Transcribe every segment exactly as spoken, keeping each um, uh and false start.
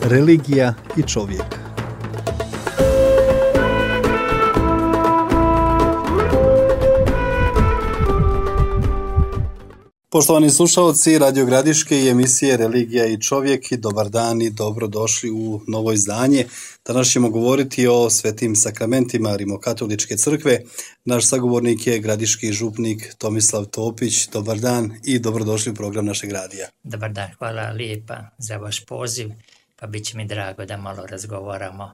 Religija i čovjek. Poštovani slušalci Radio Gradiške i emisije Religija i čovjek, i dobar dan i dobrodošli u novo izdanje. Danas ćemo govoriti o svetim sakramentima Rimokatoličke crkve. Naš sagovornik je gradiški župnik Tomislav Topić. Dobar dan i dobrodošli u program našeg radija. Dobar dan, hvala lijepa za vaš poziv, pa bit će mi drago da malo razgovaramo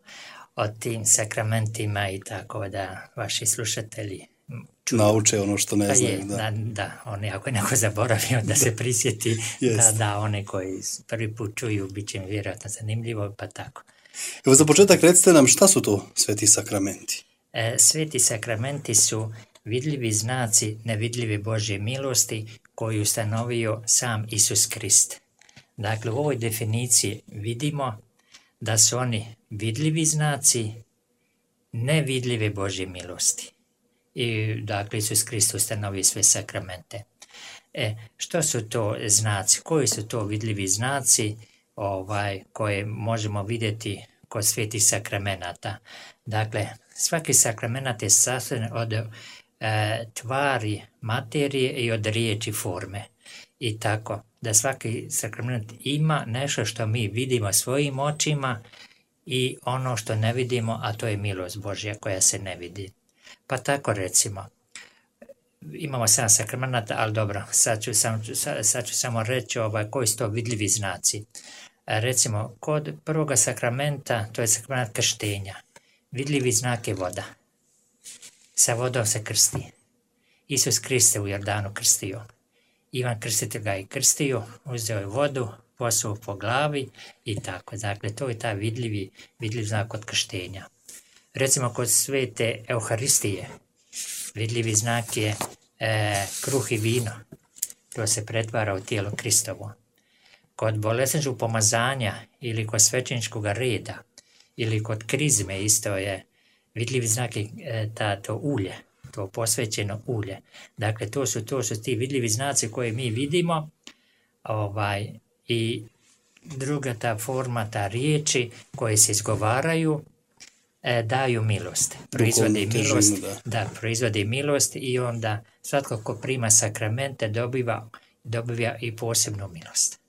o tim sakramentima i tako da vaši slušatelji čuju. Nauče ono što ne pa znaju. Je, da. Da, da, oni ako je neko zaboravio da se prisjeti, da, da oni koji prvi put čuju, bit će mi vjerojatno zanimljivo, pa tako. Evo za početak recite nam šta su to sveti sakramenti? E, sveti sakramenti su vidljivi znaci nevidljive Božje milosti koju ustanovio sam Isus Krist. Dakle, u ovoj definiciji vidimo da su oni vidljivi znaci nevidljive Božje milosti. I dakle, Isus Krist ustanovio sve sakramente. E, što su to znaci? Koji su to vidljivi znaci ovaj, koje možemo vidjeti kod svetih sakramenata? Dakle, svaki sakrament je sastavljen od e, tvari, materije i od riječi, forme. I tako, da svaki sakrament ima nešto što mi vidimo svojim očima i ono što ne vidimo, a to je milost Božja koja se ne vidi. Pa tako recimo, imamo sedam sakramenata, ali dobro, sad ću, sam, sad ću samo reći ovaj, koji su to vidljivi znaci. Recimo, kod prvoga sakramenta, to je sakrament krštenja. Vidljivi znak je voda. Sa vodom se krsti. Isus Krist se u Jordanu krstio. Ivan Krstitelj ga je krstio, uzeo je vodu, posuo po glavi i tako. Dakle, to je taj vidljivi, vidljiv znak od krštenja. Recimo, kod svete Euharistije, vidljivi znak je e, kruh i vino. To se pretvara u tijelo Kristovo. Kod bolesničkog pomazanja ili kod svećeničkog reda ili kod krizme isto je vidljivi znak je e, ta, to ulje, to posvećeno ulje. Dakle, to su, to su ti vidljivi znaci koje mi vidimo ovaj, i druga ta forma, ta riječi koje se izgovaraju, E, daju milost, proizvode milost, da. da, proizvode milost i onda svatko ko prima sakramente dobiva, dobiva i posebnu milost.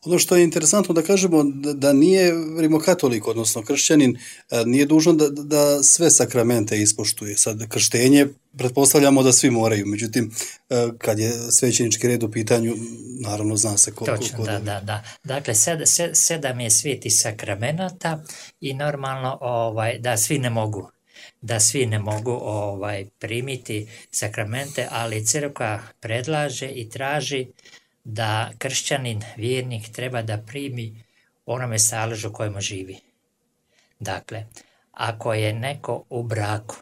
Ono što je interesantno da kažemo da, da nije rimokatolik, odnosno kršćanin, nije dužan da, da sve sakramente ispoštuje. Sad krštenje pretpostavljamo da svi moraju, međutim kad je svećenički red u pitanju, naravno zna se koliko. Točno, da, da, da. Dakle, sed, sed, sedam je sveti sakramenata i normalno ovaj, da svi ne mogu. da svi ne mogu ovaj, primiti sakramente, ali crkva predlaže i traži da kršćanin, vjernik, treba da primi onome staležu u kojemu živi. Dakle, ako je neko u braku,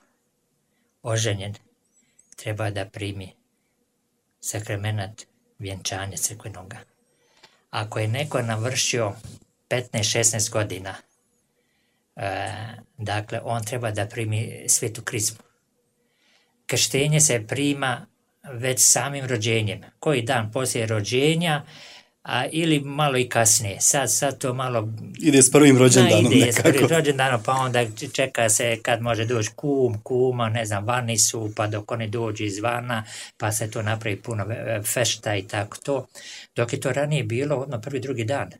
oženjen, treba da primi sakrament vjenčanja crkvenoga. Ako je neko navršio petnaest šesnaest godina, e, dakle, on treba da primi svetu krizmu. Krštenje se prima već samim rođenjem. Koji dan poslije rođenja, a, ili malo i kasnije. Sad, sad to malo... Ide s prvim rođendanom ide nekako. Ide s prvim rođendanom, pa onda čeka se kad može doći kum, kuma, ne znam, vani su, pa dok oni dođu izvana, pa se to napravi puno fešta i tako to. Dok je to ranije bilo, odmah prvi drugi dan.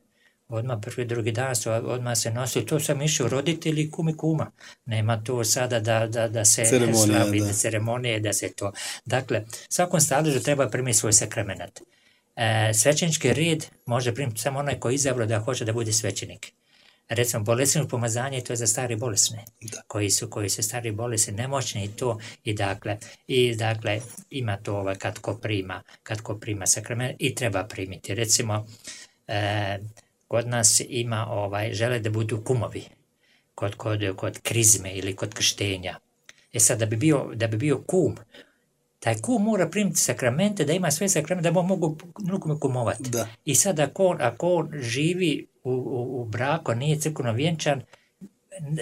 Odmah prvi drugi dan su, odmah se nosili, to sam išao roditelji, kum i kuma. Nema to sada da, da, da se slavi, da. da ceremonije, da se to... Dakle, svakom staležu treba primiti svoj sakrament. E, svećenički red može primiti samo onaj koji izabro da hoće da bude svećenik. Recimo, bolesno pomazanje, to je za stari bolesne, koji su, koji su stari bolesni, nemoćni i to, i dakle, i dakle, ima to ovaj, kad ko prima, kad ko prima sakrament i treba primiti. Recimo, e, kod nas ima, ovaj, žele da budu kumovi, kod, kod, kod krizme ili kod krštenja. E sad, da bi bio, da bi bio kum, taj kum mora primiti sakramente, da ima sve sakramente, da mogu nekome kumovati. Da. I sad ako on, ako on živi u, u, u braku, nije crkveno vjenčan,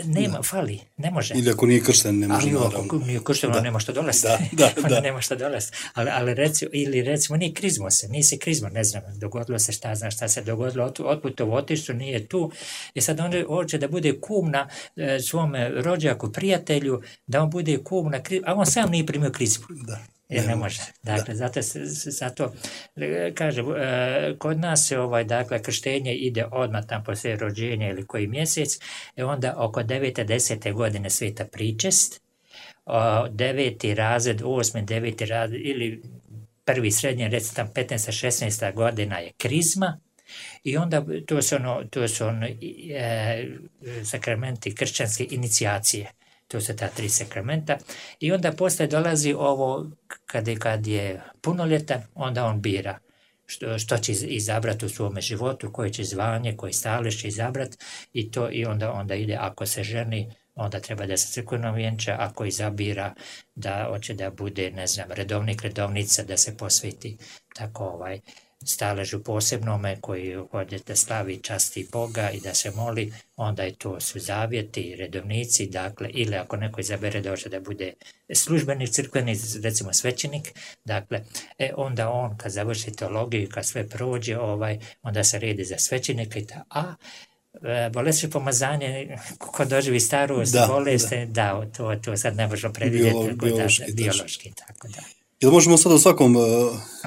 nema, da. fali, ne može. Ili ako nije kršten, ne može, ali naravno. Ako nije kršten, onda nema što dolaziti. Da, da, onda da. nema što dolaziti. Ali, ali recimo, ili recimo, nije krizmo se, nije se krizmo, ne znam, dogodilo se šta, znaš šta se dogodilo, Ot, otputovo otišću, nije tu. I sad on hoće da bude kum na e, svome rođaku, prijatelju, da on bude kum na krizmu, a on sam nije primio krizmu. Da. Jer ne može. Dakle, zato, zato kažem, kod nas se ovaj, dakle, krštenje ide odmah tam poslije rođenja ili koji mjesec, i onda oko devete, desete godine sveta pričest, deveti razred, osmi, deveti razred ili prvi srednji, recimo tam petnaesta, šesnaesta godina je krizma, i onda to su ono, to su ono e, sakramenti kršćanske inicijacije. To su ta tri sakramenta. I onda poslije dolazi ovo, kad je, kad je punoljetan, onda on bira što, što će izabrati u svome životu, koje će zvanje, koje stalež će izabrati, i to i onda, onda ide, ako se ženi, onda treba da se crkveno vjenča, ako izabira da hoće da bude, ne znam, redovnik, redovnica, da se posveti tako ovaj staležu posebnome koji hoće da slavi časti Boga i da se moli, onda je to su zavjeti, redovnici, dakle, ili ako neko izabere da hoće da bude službenik crkveni, recimo svećenik, dakle, e, onda on kad završi teologiju, kad sve prođe, ovaj, onda se redi za svećenika i ta, a e, bolest pomazanje, ko doživi starost, da, bolest, da, da to, to sad ne možemo predvidjeti, Biolo, biološki, da, biološki, tako da. Jel možemo sad u svakom uh,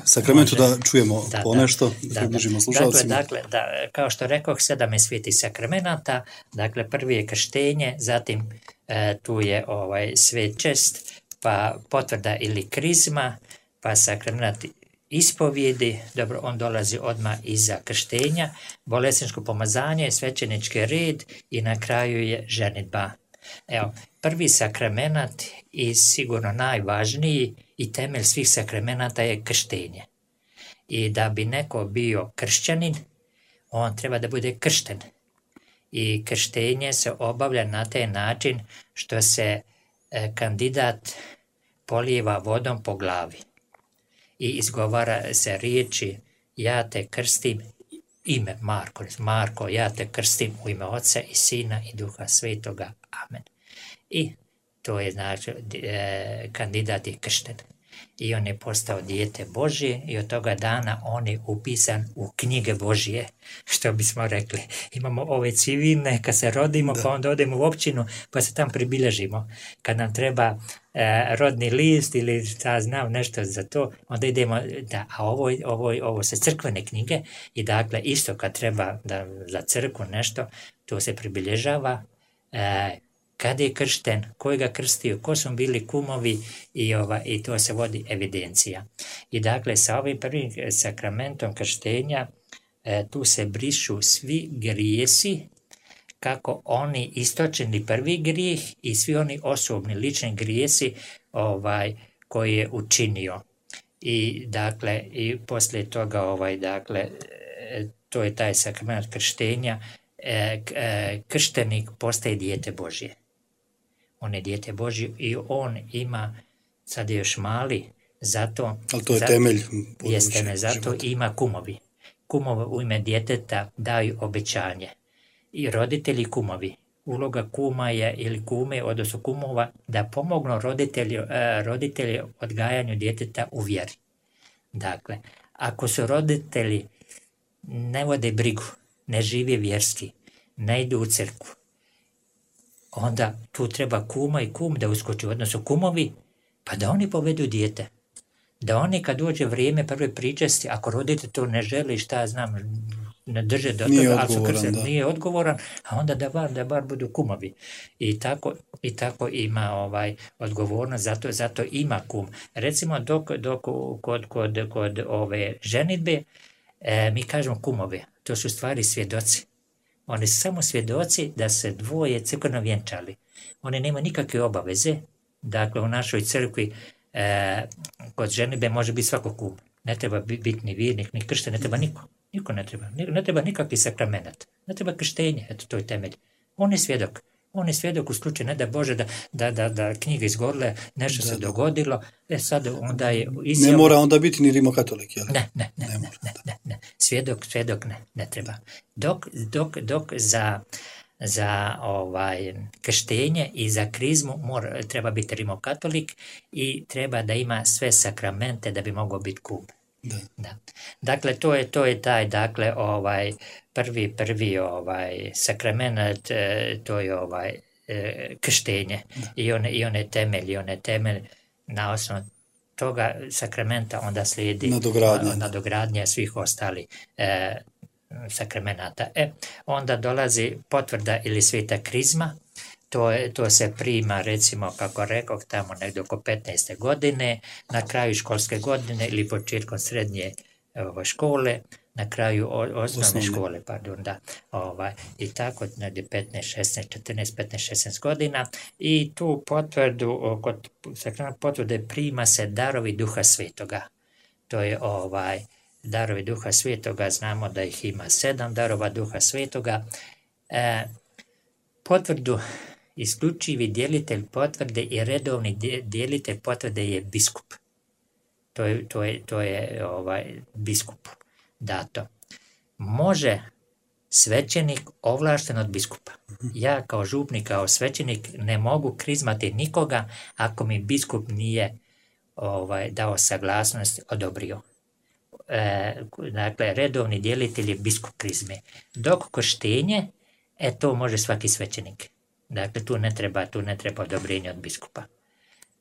sakramentu Može. da čujemo da, ponešto, da, da približimo da. slušalcima? Dakle, dakle, da, kao što rekoh, sedam je svetih sakramenata, dakle prvi je krštenje, zatim e, tu je ovaj svet čest, pa potvrda ili krizma, pa sakrament ispovjedi, dobro, on dolazi odmah iza krštenja, bolesničko pomazanje, svećenički red i na kraju je ženidba. Evo, prvi sakramenat i sigurno najvažniji i temelj svih sakramenata je krštenje. I da bi neko bio kršćanin, on treba da bude kršten. I krštenje se obavlja na taj način što se e, kandidat polijeva vodom po glavi. I izgovara se riječi: ja te krstim, ime Marko, Marko, ja te krstim u ime Oca i Sina i Duha Svetoga. Amen. I to je znači, e, kandidat je kršten. I on je postao dijete Božje i od toga dana on je upisan u knjige Božje, što bismo rekli. Imamo ove civilne, kad se rodimo, da. Pa onda odemo u općinu, pa se tam pribilježimo. Kad nam treba e, rodni list ili šta znam nešto za to, onda idemo, da, a ovo, ovo, ovo se crkvene knjige i dakle isto kad treba da, za crkvu nešto, to se pribilježava, e, kad je kršten, ko je ga krstio, ko su bili kumovi i, ova, i to se vodi evidencija. I dakle, sa ovim prvim sakramentom krštenja e, tu se brišu svi grijesi, kako oni istočeni prvi grijeh i svi oni osobni, lični grijesi ovaj, koji je učinio. I dakle, i poslije toga, ovaj, dakle, e, to je taj sakrament krštenja, e, e, krštenik postaje dijete Božje. On je dijete Božje i on ima, sad je još mali, zato... Ali to je za, temelj. Jest temelj, zato života. ima kumovi. Kumovi u ime djeteta daju obećanje. I roditelji kumovi. Uloga kuma je, ili kume, odnosno kumova, da pomognu roditelji, roditelji odgajanju djeteta u vjeri. Dakle, ako su roditelji ne vode brigu, ne žive vjerski, ne idu u crkvu, onda tu treba kuma i kum da uskoči, odnosno kumovi, pa da oni povedu dijete. Da oni kad dođe vrijeme prve pričesti, ako roditelj to ne želi, šta znam, ne drže do nije toga, odgovoran, krse, da. nije odgovoran, a onda da bar, da bar budu kumovi. I tako, i tako ima ovaj odgovornost, zato, zato ima kum. Recimo dok, dok kod, kod, kod ove ženidbe, e, mi kažemo kumove, to su stvari svjedoci. Oni su samo svjedoci da se dvoje crkveno vjenčali. Oni nema nikakve obaveze. Dakle, u našoj crkvi e, kod ženidbe može biti svako kum. Ne treba biti ni vjernik, ni kršten, ne treba niko. Niko ne treba. Ne treba nikakvi sakramenat. Ne treba krštenje, eto to je temelj. On je svjedok. On je svjedok u slučaju, ne da Bože da, da, da, da knjiga izgorile, nešto da, se da. dogodilo, e sad onda je izjav... Ne mora onda biti ni rimokatolik, jel? Ne, ne, ne, ne, ne, ne, ne, ne. Svjedok, svjedok ne, ne treba. Dok, dok, dok za za ovaj krštenje i za krizmu mora, treba biti rimokatolik i treba da ima sve sakramente da bi mogao biti kum. Da. Da. Dakle, to je, to je taj, dakle, ovaj, prvi, prvi ovaj, sakrament, to je ovaj, krštenje. I on, i on je temelj, i on je temelj na osnovu toga sakramenta onda slijedi nadogradnja, nadogradnja svih ostalih e, sakramenata. E, onda dolazi potvrda ili sveta krizma, to, je, to se prima, recimo, kako rekao, tamo negdje oko petnaeste godine, na kraju školske godine ili početkom srednje ovaj, škole, na kraju osnovne, osnovne škole, pardon, da, ovaj, i tako, negdje petnaest, šesnaest, četrnaest, petnaest, šesnaest godina, i tu potvrdu, kod sakramenta potvrde prima se darovi Duha Svetoga. To je ovaj, darovi Duha Svetoga, znamo da ih ima sedam darova Duha Svetoga. E, potvrdu, isključivi djelitelj potvrde i redovni djelitelj potvrde je biskup. To je, to je, to je ovaj, biskup dato. Može svećenik ovlašten od biskupa. Ja kao župnik, kao svećenik ne mogu krizmati nikoga ako mi biskup nije ovaj, dao saglasnost, odobrio. E, dakle, redovni djelitelj je biskup krizme. Dok krštenje, e to može svaki svećenik. Dakle, tu ne treba, tu ne treba odobrenje od biskupa.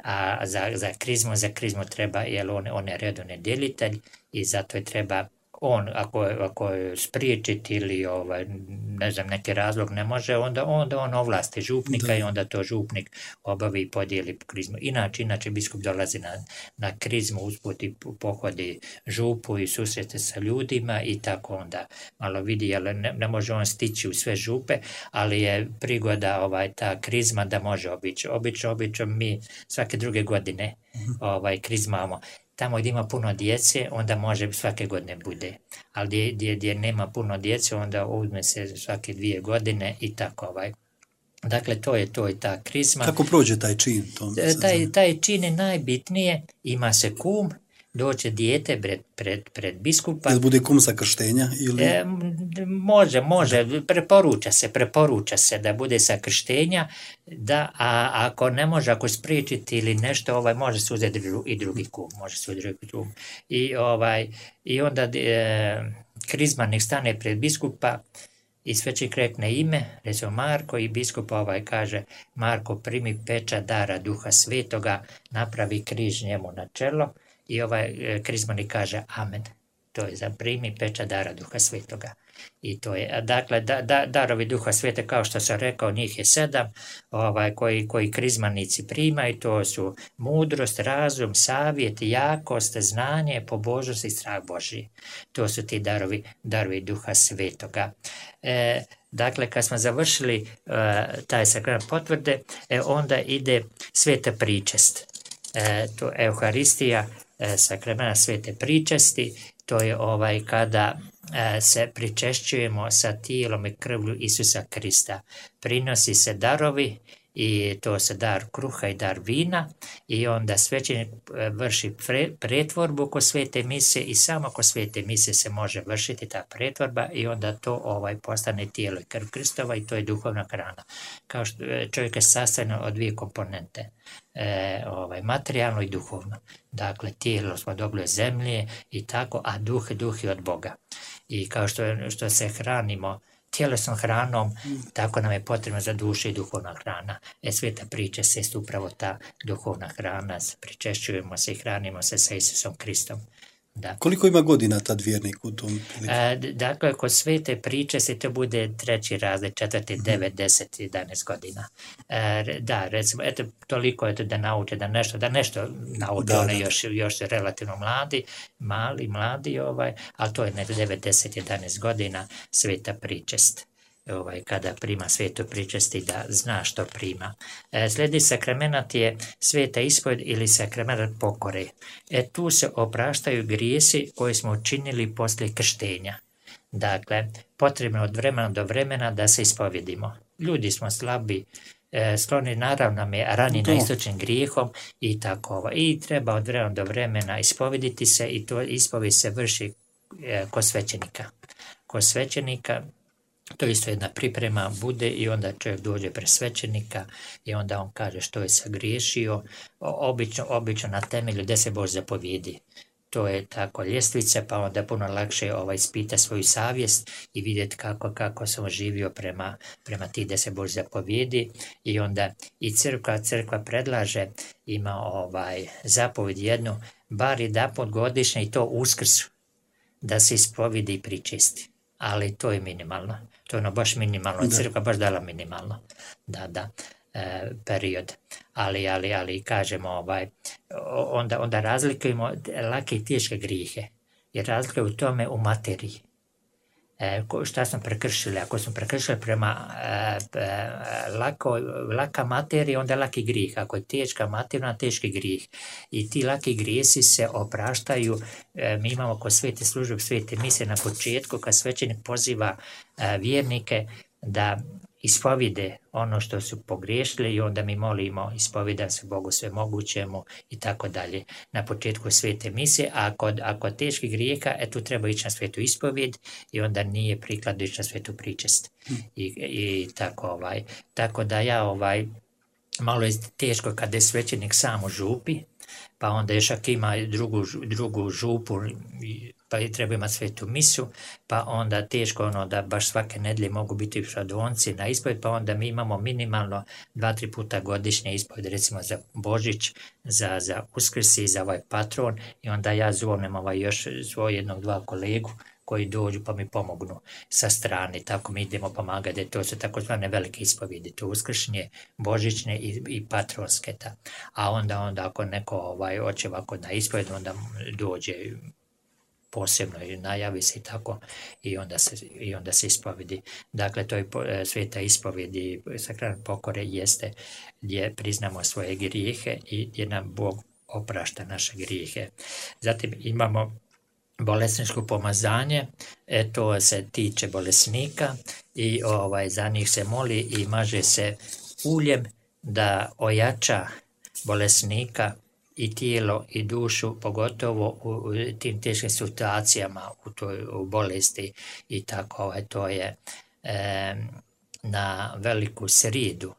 A za, za krizmu, za krizmu treba, jer on, on je redovni djelitelj i zato je treba on, ako, ako je spriječiti ili ovaj, ne znam, neki razlog ne može, onda, onda on ovlasti župnika da. I onda to župnik obavi i podijeli krizmu. Inače, inače biskup dolazi na, na krizmu, usput i pohodi župu i susrete sa ljudima i tako onda malo vidi, jer ne, ne može on stići u sve župe, ali je prigoda ovaj, ta krizma da može obići. Obično, obično mi svake druge godine ovaj, krizmamo. Tamo gdje ima puno djece, onda može svake godine bude. Ali gdje, gdje, gdje nema puno djece, onda uzme se svake dvije godine i tako ovaj. Dakle, to je to je ta krizma. Kako prođe taj čin? To taj, taj čin je najbitnije, ima se kum, doće dijete pred, pred, pred biskupa. Jel bude kum sa krštenja? Ili... E, može, može, preporuča se, preporuča se da bude sa krštenja, da, a ako ne može, ako spriječiti ili nešto, ovaj, može se uzeti i drugi kum, može se uzeti drugi kum. I, ovaj, i onda e, krizmanik stane pred biskupa i svećenik rekne ime, recimo Marko, i biskup ovaj kaže, Marko, primi pečat dara Duha Svetoga, napravi križ njemu na čelo, i ovaj krizmanik kaže amen. To je za primi pečat dara Duha Svetoga. I to je, dakle, da, da, darovi Duha Svete, kao što sam rekao, njih je sedam, ovaj, koji, koji krizmanici primaju, to su mudrost, razum, savjet, jakost, znanje, pobožnost i strah Božji. To su ti darovi, darovi Duha Svetoga. E, dakle, kad smo završili uh, taj sakrament potvrde, e, onda ide sveta pričest. E, to Euharistija, e, sakrament svete pričesti, to je ovaj kada e, se pričešćujemo sa tijelom i krvlju Isusa Krista. Prinosi se darovi i to se dar kruha i dar vina i onda svećenik vrši pre, pretvorbu kod svete mise i samo kod svete mise se može vršiti ta pretvorba i onda to ovaj postane tijelo i krv Kristova i to je duhovna hrana. Kao što čovjek je sastavljen od dvije komponente. E, ovaj, materijalno i duhovno. Dakle, tijelo smo dobili od zemlje i tako, a duh, duh je od Boga. I kao što, što se hranimo tjelesnom hranom, mm. tako nam je potrebno za dušu i duhovna hrana. E, sveta priča se jest upravo ta duhovna hrana, pričešćujemo se i hranimo se sa Isusom Kristom. Da. Koliko ima godina tad vjernik u tom? E, dakle, kod svete priče se to bude treći razred, četvrti, mm-hmm. devet, deset, jedanaest godina. E, da, recimo, eto, toliko eto da nauče, da nešto, da nešto nauče, da, one da, još, još relativno mladi, mali, mladi, ovaj, ali to je ne devet, deset, jedanaest godina sveta pričest. Ovaj, kada prima svetu pričesti da zna što prima. E, sljedeći sakrament je sveta ispovjed ili sakrament pokore. E, tu se opraštaju grijesi koje smo učinili poslije krštenja. Dakle, potrebno od vremena do vremena da se ispovjedimo. Ljudi smo slabi, e, skloni naravno nam je rani na istočnim grijehom i tako. I treba od vremena do vremena ispovjediti se i to ispovjed se vrši e, kod svećenika. Kod svećenika To isto jedna priprema bude i onda čovjek dođe pred svećenika i onda on kaže što je sagriješio, obično, obično na temelju deset Božjih zapovjedi. To je tako ljestvica, pa onda puno lakše ovaj, ispita svoju savjest i vidjeti kako, kako sam živio prema, prema tih deset Božjih zapovjedi. I onda i crkva, crkva predlaže, ima ovaj, zapovjed jednu, bar jedanput godišnje i to Uskrsu, da se ispovjedi i pričisti. Ali to je minimalno. To je ono baš minimalno. Da. Crkva baš dala minimalno. Da, da. E, period. Ali, ali, ali, kažemo, ovaj, onda, onda razlikujemo lake i teške grijehe. Jer razlika je u tome u materiji. E, šta smo prekršili? Ako smo prekršili prema e, e, lako, laka materija, onda je laki grijeh. Ako je teška materija, onda teški grijeh. I ti laki grijesi se opraštaju. E, mi imamo kod svete službe, svete mise na početku, kad svećenik poziva e, vjernike da ispovide ono što su pogriješili i onda mi molimo, ispovidan se Bogu sve mogućemu i tako dalje na početku svete mise, a kod, a kod teških grijeha, e tu treba ići na svetu ispovjed i onda nije prikladno ići na svetu pričest. I, i tako, ovaj, tako da ja ovaj, malo je teško kada je svećenik sam u župi, pa onda još ako ima drugu, drugu župu, pa treba imati svetu misu, pa onda teško ono da baš svake nedjelje mogu biti šadonci na ispovjed, pa onda mi imamo minimalno dva, tri puta godišnje ispovjed, recimo za Božić, za, za Uskrs i za ovaj patron, i onda ja zovem ovaj još svoj jednog, dva kolegu koji dođu pa mi pomognu sa strane, tako mi idemo pomagati, to su takozvane velike ispovjedi, to uskršnje, božićne i, i patronske. Ta. A onda, onda ako neko ovaj, hoće ovako na ispovjed, onda dođe posebno i najavi se i tako i onda se, i onda se ispovjedi. Dakle, to je sveta ispovjed i sakrament pokore jeste gdje priznamo svoje grijehe i gdje nam Bog oprašta naše grijehe. Zatim imamo bolesničko pomazanje, e, to se tiče bolesnika i ovaj, za njih se moli i maže se uljem da ojača bolesnika i tijelo i dušu, pogotovo u, u tim teškim situacijama, u toj u bolesti i tako. Ovaj, to je e, na veliku srijedu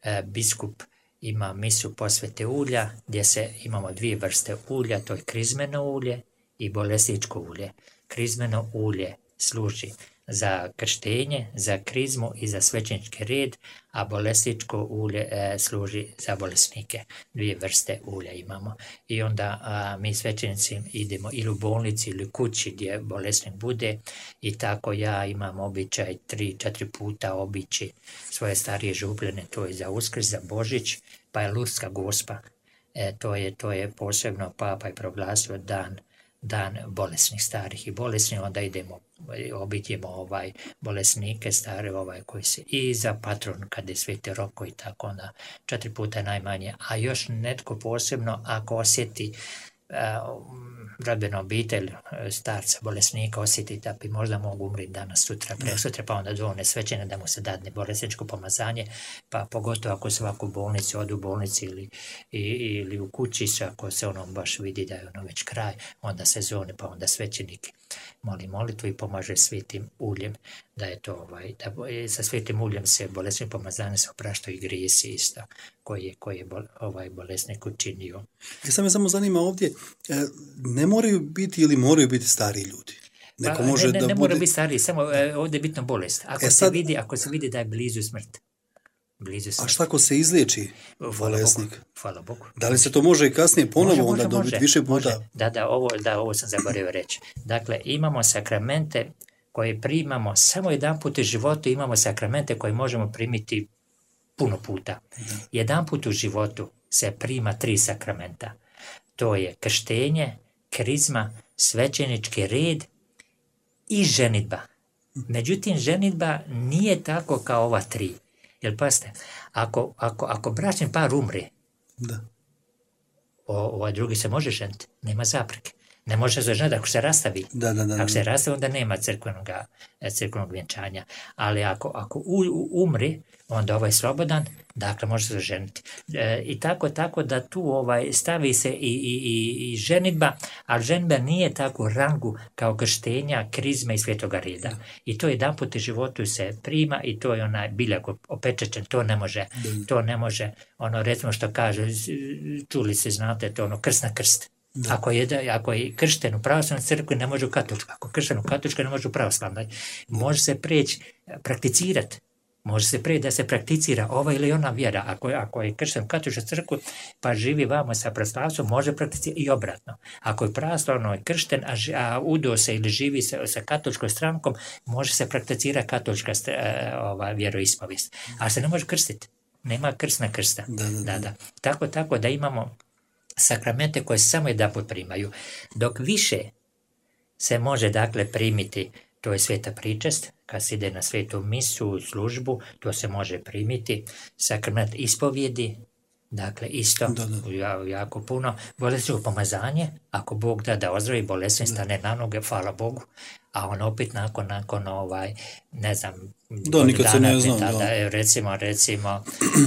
e, biskup ima misu posvete ulja, gdje se imamo dvije vrste ulja, to je krizmeno ulje i bolesničko ulje. Krizmeno ulje služi za krštenje, za krizmu i za svećenički red, a bolesničko ulje e, služi za bolesnike. Dvije vrste ulja imamo. I onda a, mi svećenici idemo ili u bolnici ili u kući gdje bolesnik bude i tako ja imam običaj tri, četiri puta obići svoje starije župljene, to je za Uskrs, za Božić, pa je Lurska Gospa. E, to, je, to je posebno Papa je proglasio dan dan bolesnih, starih i bolesnih, onda idemo, obiđemo ovaj bolesnike stare ovaj koji se i za patron kad je Sveti Roko i tako onda četiri puta najmanje, a još netko posebno ako osjeti uh, rodbena obitelj starca, bolesnika osjeti da bi možda mogu umriti danas, sutra, presutra, pa onda dovone svećene da mu se dadne bolesničko pomazanje, pa pogotovo ako se ovako u bolnici, odu u bolnici ili, i, ili u kući, ako se ono baš vidi da je ono već kraj, onda se zone, pa onda svećenik moli molitvu i pomaže svetim uljem, da je to ovaj, da sa svetim uljem se bolesnim pomazanjem se opraštaju i grijesi isto koji je, koji je bol, ovaj bolesnik učinio. I sad me samo zanima ovdje, ne moraju biti ili moraju biti stari ljudi? Neko pa, može ne, ne, da ne bude... mora biti stariji, samo ovdje je bitno bolest. Ako, e sad... se vidi, ako se vidi da je blizu smrt. Blizu smrt. A šta ako se izliječi bolesnik? Bogu, hvala Bogu. Da li se to može i kasnije ponovo može, onda dobiti više puta? Može. Da, da, ovo, da, ovo sam zaboravio reći. Dakle, imamo sakramente koje primamo samo jedan put u životu, imamo sakramente koje možemo primiti puno puta. Da. Jedan put u životu se prima tri sakramenta. To je krštenje, krizma, svećenički red i ženidba. Međutim, ženidba nije tako kao ova tri. Jer pazite, ako, ako, ako bračni par umre, da. O, ovaj drugi se može ženiti, nema zapreke. Ne može se ženiti ako se rastavi. Da, da, da, ako se da. rastavi, onda nema crkvenog, crkvenog vjenčanja. Ali ako, ako u, u, umri, onda ovaj slobodan, dakle može se ženiti. E, I tako, tako da tu ovaj, stavi se i, i, i, i ženitba, ali ženitba nije tako u rangu kao krštenja, krizme i svetoga reda. I to jedan put u životu se prima i to je onaj biljak opečečen, to ne može, to ne može, ono recimo što kaže, čuli se, znate, to ono krst na krst. Da. Ako je, ako je kršten u pravoslavnoj crkvi, ne može u katoličkoj. Ako je kršten u katoličkoj, ne može u pravoslavnoj. Može se prijeći, prakticirati. Može se prije da se prakticira ova ili ona vjera. Ako, ako je kršten u katoličkoj crkvi, pa živi vamo sa pravoslavcom, može prakticirati i obratno. Ako je pravoslavno je kršten, a, a udo se ili živi sa, sa katoličkom strankom, može se prakticirati katolička ova, vjeroispovijest. Ali se ne može krstiti. Nema krstna krsta. Da, da, da. Da, da. Tako, tako da imamo sakramente koje se samo jedanput primaju. Dok više se može dakle primiti, to je sveta pričest, kad se ide na svetu misu, službu, to se može primiti. Sakrament ispovjedi, dakle isto, da, da. jako puno. Bolesno pomazanje, ako Bog da da ozdravi bolesni, stane na noge, hvala Bogu, a on opet nakon, nakon ovaj, ne znam, da, nikad se ne znam, tada, da. recimo, recimo,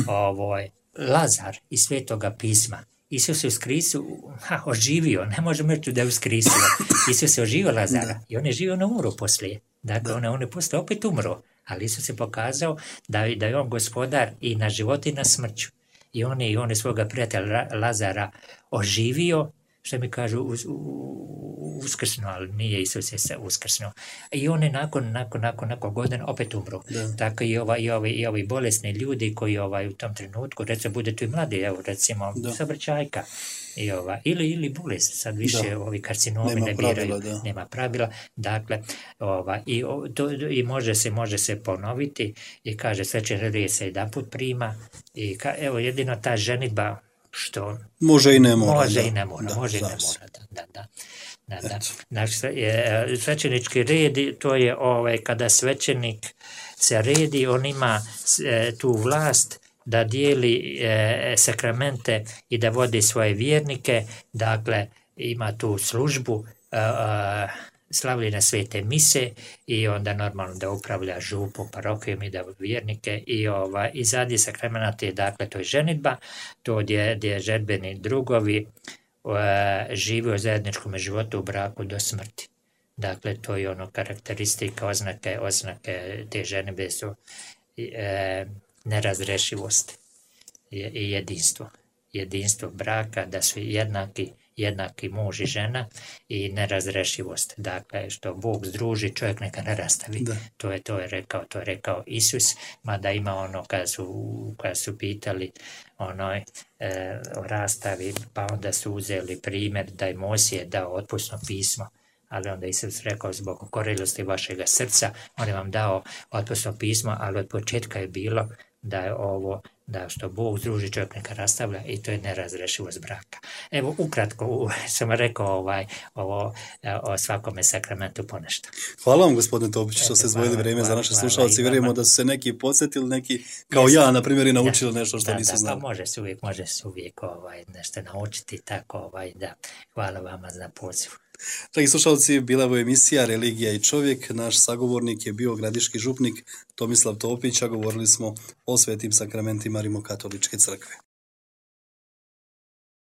ovoj, Lazar iz Svetoga pisma, Isus je uskrisio, ha, oživio, ne možemo reći da je uskrisio. Isus je oživio Lazara da. I on je živio, on je umro poslije. Dakle, on je, on je poslije opet umro. Ali Isus je pokazao da, da je on gospodar i na život i na smrću. I on je, i on je svoga prijatelja Lazara oživio, što mi kažu, uz, uskrsno, ali nije Isus je se uskrsno. I on je nakon, nakon, nakon, nakon godina opet umro. Da. Tako i, ova, i, ovi, i ovi bolesni ljudi koji ovaj, u tom trenutku, recimo, bude tu i mladi, evo, recimo, da. Saobraćajka, i ova, ili, ili bolest, sad više da. Ovi karcinomi nema ne biraju, pravila, nema pravila, dakle, ova, i, to, i može se, može se ponoviti i kaže, svečani red se jedan put prima i ka, evo, jedino ta ženidba, što može i ne mora. Može da, i ne mora, da, može da, i ne mora, da, da, da. da, da. Znači, svećenički red, to je ovaj, kada svećenik se redi, on ima e, tu vlast da dijeli e, sakramente i da vodi svoje vjernike, dakle, ima tu službu, e, e, slavljene svete mise i onda normalno da upravlja župom, parohijom i da vjernike i, ova, i zadnji sakrament je, dakle, to je ženidba, to gdje, gdje ženbeni drugovi uh, žive u zajedničkom životu u braku do smrti. Dakle, to je ono karakteristika, oznake, oznake te ženidbe su e, nerazrešivost i jedinstvo. Jedinstvo braka, da su jednaki jednaki muž i žena i nerazrešivost. Dakle, što Bog združi, čovjek neka ne rastavi. Da. To je, to je rekao, to je rekao Isus, mada ima ono kada su, kada su pitali onoj e, o rastavi, pa onda su uzeli primjer da je Mosije dao otpusno pismo, ali onda Isus rekao, zbog ukorjelosti vašega srca, on je vam dao otpusno pismo, ali od početka je bilo da je ovo, da što Bog združi, čovjek neka rastavlja i to je nerazrešivost braka. Evo, ukratko sam rekao ovaj, ovo, o svakome sakramentu ponešto. Hvala vam, gospodine Topić, što ste izdvojili vrijeme za naše slušalce. Vjerujemo da su se neki podsjetili, neki kao Jes, ja, na primjer, i naučili da, nešto što da, nisu da, znali. Pa može se uvijek, može se uvijek ovaj, nešto naučiti, tako, ovaj, da. Hvala vama za poziv. Dragi slušalci, bila je emisija Religija i čovjek. Naš sagovornik je bio gradiški župnik Tomislav Topić, a govorili smo o svetim sakramentima Rimokatoličke crkve.